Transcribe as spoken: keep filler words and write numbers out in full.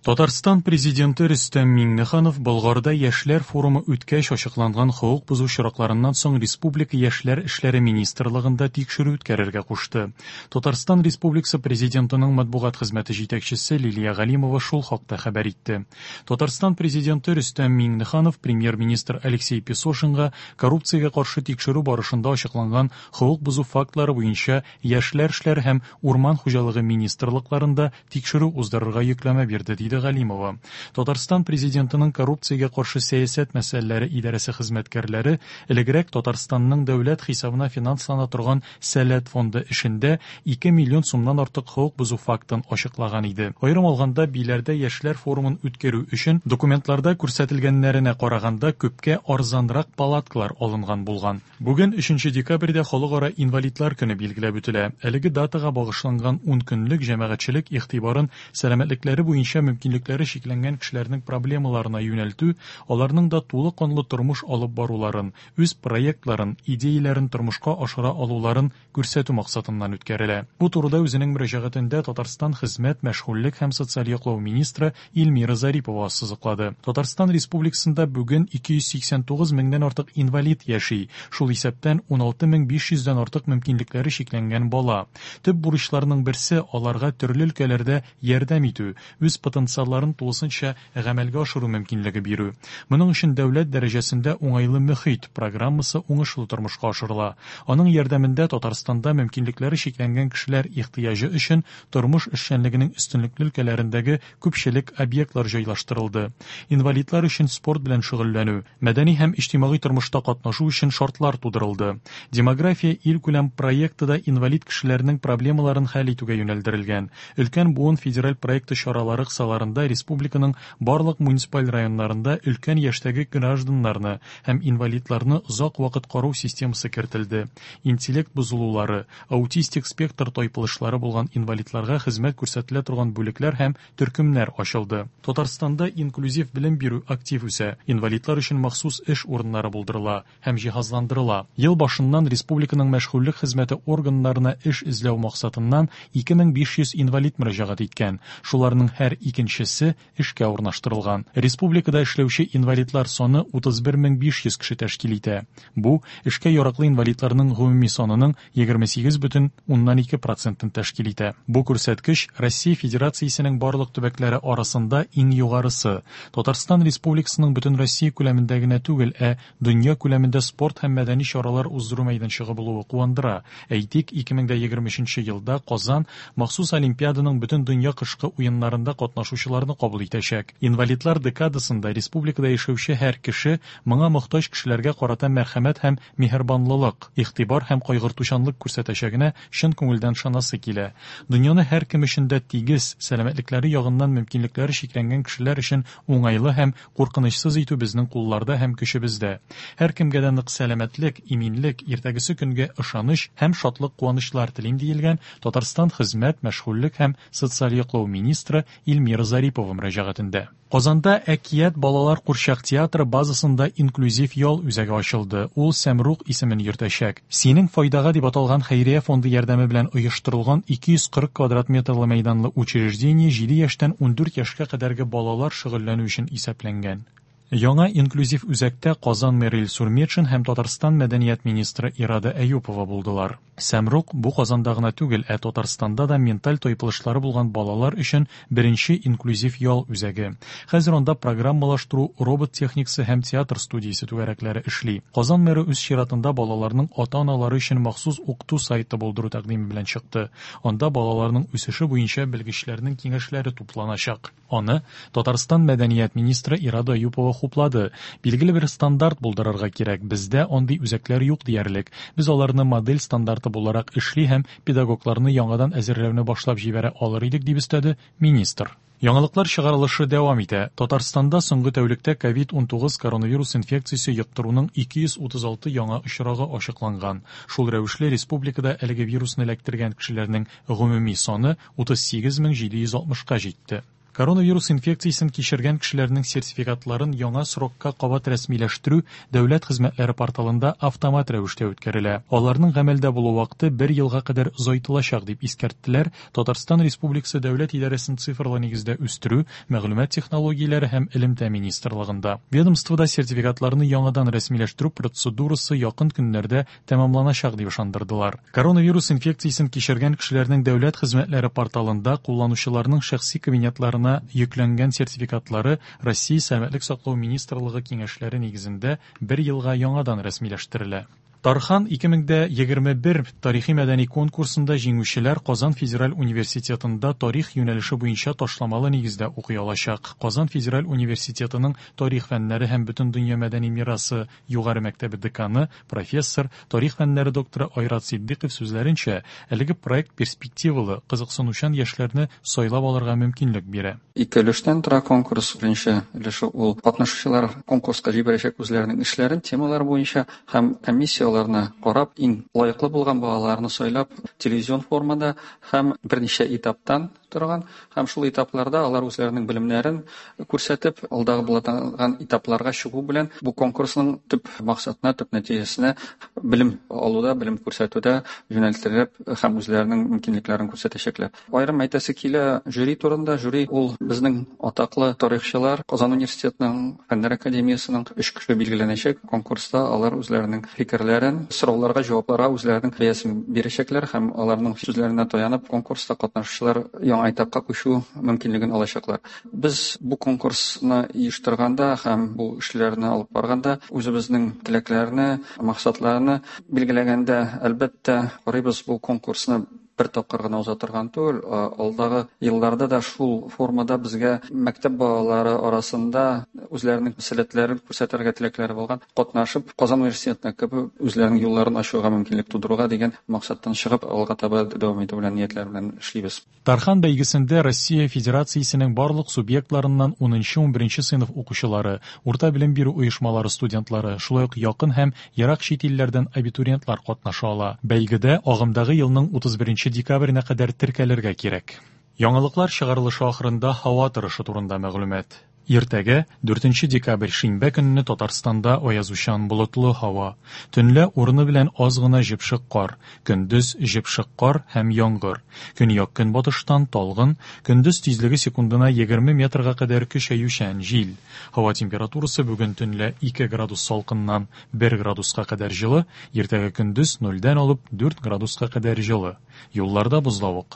Татарстан президенты Рөстәм Миңнеханов Болгарда яшьләр форумы үткәч ачыкланган хокук бозу очракларыннан соң республика яшьләр эшләре министрлыгында тикшерү үткәрергә кушты. Татарстан Республикасы президентының матбугат хезмәте җитәкчесе Лилия Галимова шул хакта хәбәр итте. Татарстан президенты Рөстәм Миңнеханов премьер-министр Алексей Песошинга коррупциягә каршы тикшерү барышында ачыкланган хокук бозу фактлары буенча яшьләр эшләре һәм урман хуҗалыгы министрлыкларында тикшерү уздырырга йөкләмә бирде, диде Галимова. Татарстан президентының коррупциягә каршы сәясәт мәсьәләләре идарәсе хезмәткәрләре элегрәк Татарстанның дәүләт хисабына финанслана торган Сәләт фонды эшендә ике миллион сумнан артык хокук бозу фактын ачыклаган иде. Аерым алганда, Биләрдә яшьләр форумын үткәрү өчен документларда күрсәтелгәннәренә караганда күпкә арзанрак палаткалар алынган булган. Бүген өченче декабрьдә халыкара инвалидлар көне билгеләп үтелә. Әлеге датага багышланган ун көнлек җәмәгатьчелек игътибарын сәламәтлекләре буенча мөмкинлекләре чикләнгән кешеләрнең проблемаларына юнәлтү, аларның да тулы канлы тормыш алып баруларын, үз проектларын, идеяләрен тормышка ашыра алуларын күрсәтү максатыннан үткәрелә. Бу турыда үзенең мөрәҗәгатендә Татарстан хезмәт, мәшгульлек һәм социаль яклау министры Эльмира Зарипова ассызыклады. Татарстан Республикасында бүген ике йөз сиксән тугыз меңнән артык инвалид яши, шул исәптән ун алты мең биш йөздән артык мөмкинлекләре чикләнгән бала. Төп бурычларның берсе аларга төрле өлкәләрдә ярдәм итү, үз потенциалларын тулысынча гамәлгә ашыру мөмкинлеге бирү. Моның өчен дәүләт дәрәҗәсендә уңайлы мөхит программасы уңышлы тормышка ашырыла. Аның ярдәмендә Татарстанда мөмкинлекләре чикләнгән кешеләр ихтыяҗы өчен тормыш эшчәнлегенең өстенлекле өлкәләрендәге күпчелек объектлар җайлаштырылды. Инвалидлар өчен спорт белән шөгыльләнү, мәдәни һәм иҗтимагый тормышта катнашу өчен шартлар тудырылды. Демография илкүләм проекты да инвалид кешеләрнең проблемаларын хәл итүгә юнәлдерелгән. Өлкән буын федераль проекты чаралары кысаларында республиканың барлык муниципаль районнарында өлкән яшьтәге гражданнарны һәм инвалидларны озак вакыт карау системасы кертелде. Интеллект бозылулары, аутистик спектр тайпылышлары булган инвалидларга хезмәт күрсәтелә торган бүлекләр һәм төркемнәр ачылды. Татарстанда инклюзив белем бирү актив үсә. Инвалидлар өчен махсус эш урыннары булдырыла һәм җиһазландырыла. Ел башыннан республиканың мәшгульлек хезмәте органнарына эш эзләү максатыннан ике мең биш йөз инвалид мөрәҗәгать иткән. Шуларның һәр икенчесе эшкә урнаштырылган. Республикада эшләүче инвалидлар саны утыз бер мең биш йөз кеше тәшкил итә. Бу эшкә яраклы инвалидларның гомуми санының егерме сигез бөтен уннан ике процентын тәшкил итә. Бу күрсәткеч Россия Федерациясенең барлык төбәкләре арасында иң югарысы. Татарстан Республикасының бөтен Россия күләмендә генә түгел, ә дөнья күләмендә спорт һәм мәдәни чаралар уздыру мәйданчыгы булуы куандыра. Әйтик, ике мең дә егерме өченче елда Казан махсус Олимпиаданың бөтен дөнья кышкы уеннарында катнашучыларны кабул итәчәк. Инвалидлар декадасында республикада яшәүче һәр кеше моңа мохтаҗ кешеләргә карата мәрхәмәт һәм миһербанлылык, игътибар һәм кайгыртучанлык күрсәтәчәгенә чын күңелдән ышанасы килә. Дөньяны һәр кем өчен дә тигез, сәламәтлекләре ягыннан мөмкинлекләре чикләнгән кешеләр өчен уңайлы һәм куркынычсыз итү безнең кулларда һәм көчебездә. Һәр кемгә дә нык сәламәтлек, иминлек, иртәгесе көнгә ышаныч һәм шатлык куанычлар телим, диелгән Татарстан хезмәт, мәшгульлек һәм социаль яклау министры Эльмира Зарипова мөрәҗәгатендә. Казанда Әкият балалар курчак театры базасында инклюзив ял үзәге ачылды. Ул Сәмрух исемен йөртәчәк. Синең файдага дип аталган хәйрия фонды ярдәме белән оештырылган ике йөз кырык квадрат метрлы мәйданлы учреждение җиде яшьтән ундүрт яшькә кадәрге балалар шөгыльләнү өчен исәпләнгән. Яңа инклюзив үзәктә Казан мэры Илсур Метшин һәм Татарстан мәдәният министры Ирада Әюпова булдылар. Сәмрух бу Казанда гына түгел, ә Татарстанда да менталь тайпылышлары булган балалар өчен беренче инклюзив ял үзәге. Хәзер анда программалаштыру, робот техникасы һәм театр студиясе түгәрәкләре эшли. Казан мэры үз чиратында балаларның ата-аналары өчен махсус укыту сайты булдыру тәкъдиме белән чыкты. Анда балаларның үсеше буенча белгечләрнең киңәшләре тупланачак. Аны Татарстан мәдәният министры Ирада Әюпова хуплады. Билгеле бер стандарт булдырырга кирәк. Бездә андый үзәкләр юк диярлек. Без аларны модель стандарты буларак эшли һәм педагогларны яңадан әзерләүне башлап җибәрә алыр идек, дип өстәде министр. Яңалыклар чыгарылышы дәвам итә. Татарстанда соңгы тәүлектә ковид унтугыз коронавирус инфекциясе йоктыруның ике йөз утыз алты яңа очрагы ачыкланган. Шул рәвешле республикада әлеге вирусны эләктергән кешеләрнең гомуми саны утыз сигез мең җиде йөз алтмышка җитте. Коронавирус инфекциясен кичергән кешеләрнең сертификатларын яңа срокка кабат рәсмиләштерү дәүләт хезмәтләре порталында автомат рәвештә үткәрелә. Аларның гамәлдә булу вакыты бер елга кадәр озайтылачак, дип искәрттеләр Татарстан Республикасы Дәүләт идарәсен цифрлы нигездә үстерү, мәгълүмат технологияләре һәм элемтә министрлыгында. Ведомствода сертификатларны яңадан рәсмиләштерү процедурасы якын көннәрдә тәмамланачак дип ышандырдылар. Коронавирус инфекциясен кичергән кешеләрнең дәүләт хезмәтләре порталында кулланучыларның шәхси кабинетларына йөкләнгән сертификатлары Россия Сәламәтлек саклау министрлыгы киңәшләре нигезендә бер елга яңадан рәсмиләштерелә. Тархан ике мең егерме бер тарихи-мәдәни конкурсында җиңүчеләр Казан федераль университетында тарих юнәлеше буенча ташламалы нигездә укый алачак. Казан федераль университетының тарих фәннәре һәм бөтендөнья мәдәни мирасы югары мәктәбе деканы, профессор, тарих фәннәре докторы Айрат Сиддиков сүзләренчә, әлеге проект перспективалы, кызыксынучан яшьләрне сайлап алырга мөмкинлек бирә. Ике өлештән тора конкурс. Беренче өлеше ул катнашучылар конкурска җибәрәчәк үзләренең эшләрен темалар буенча һәм комиссияләр карап, иң лаеклы булган балаларны сайлап, телевизион формада һәм берничә этаптан торган, һәм шул этапларда алар үзләренең белемнәрен күрсәтеп, алдагы булган этапларга чыгу белән бу конкурсның төп максатына, төп нәтиҗәсенә белем алуда, белем күрсәтүдә юнәлтелеп һәм үзләренең мөмкинлекләрен күрсәтәчәкләр. Аерым әйтәсе килә жюри турында. Жюри ул безнең атаклы тарихчылар, Казан университетының, Фәннәр академиясының өч кеше билгеләнәчәк. Конкурста алар үзләренең фикерләрен, сорауларга, җавапларга үзләренең бәясен бирәчәкләр һәм аларның сүзләренә таянып конкурста катнашучылар яңа этапка күчү мөмкинлеген алачаклар. Без бу конкурсны оештырганда һәм бу эшләрне алып барганда үзебезнең теләкләрне, максатларны билгеләгәндә, әлбәттә, карыйбыз бу конкурсны бер тапкыр гына уза торган түгел, алдагы елларда да шул формада безгә мәктәп балалары арасында үзләренең сәләтләрен күрсәтергә теләкләре булган катнашып Казан университетына кереп үзләренең юлларын ачуга мөмкинлек тудыруга дигән максаттан чыгып алга таба дәвам итү белән ниятләр белән эшлибез. Тархан бәйгесендә Россия Федерациясенең барлык субъектларыннан унынчы-унберенче сыйныф укучылары, урта белем бирү оешмалары студентлары, шулай ук якын һәм ерак чит илләрдән абитуриентлар катнаша ала. Бәйгедә агымдагы елның утыз беренче декабренә кадәр теркәлергә кирәк. Яңалыклар чыгарылышы ахырында һава торышы турында мәгълүмат. Иртәгә дүртенче декабрь шимбә көнне Татарстанда аязучан болытлы һава. Төнлә урыны белән аз гына җепшек кар, көндез җепшек кар һәм яңгыр. Көньяк-көнбатыштан талгын, көндез тизлеге секундына егерме метрга кадәр көчәючән җил. Һава температурасы бүген төнлә ике градус салкыннан бер градуска кадәр җылы, иртәгә көндез нольдән алып дүрт градуска кадәр җылы. Юлларда бозлавык.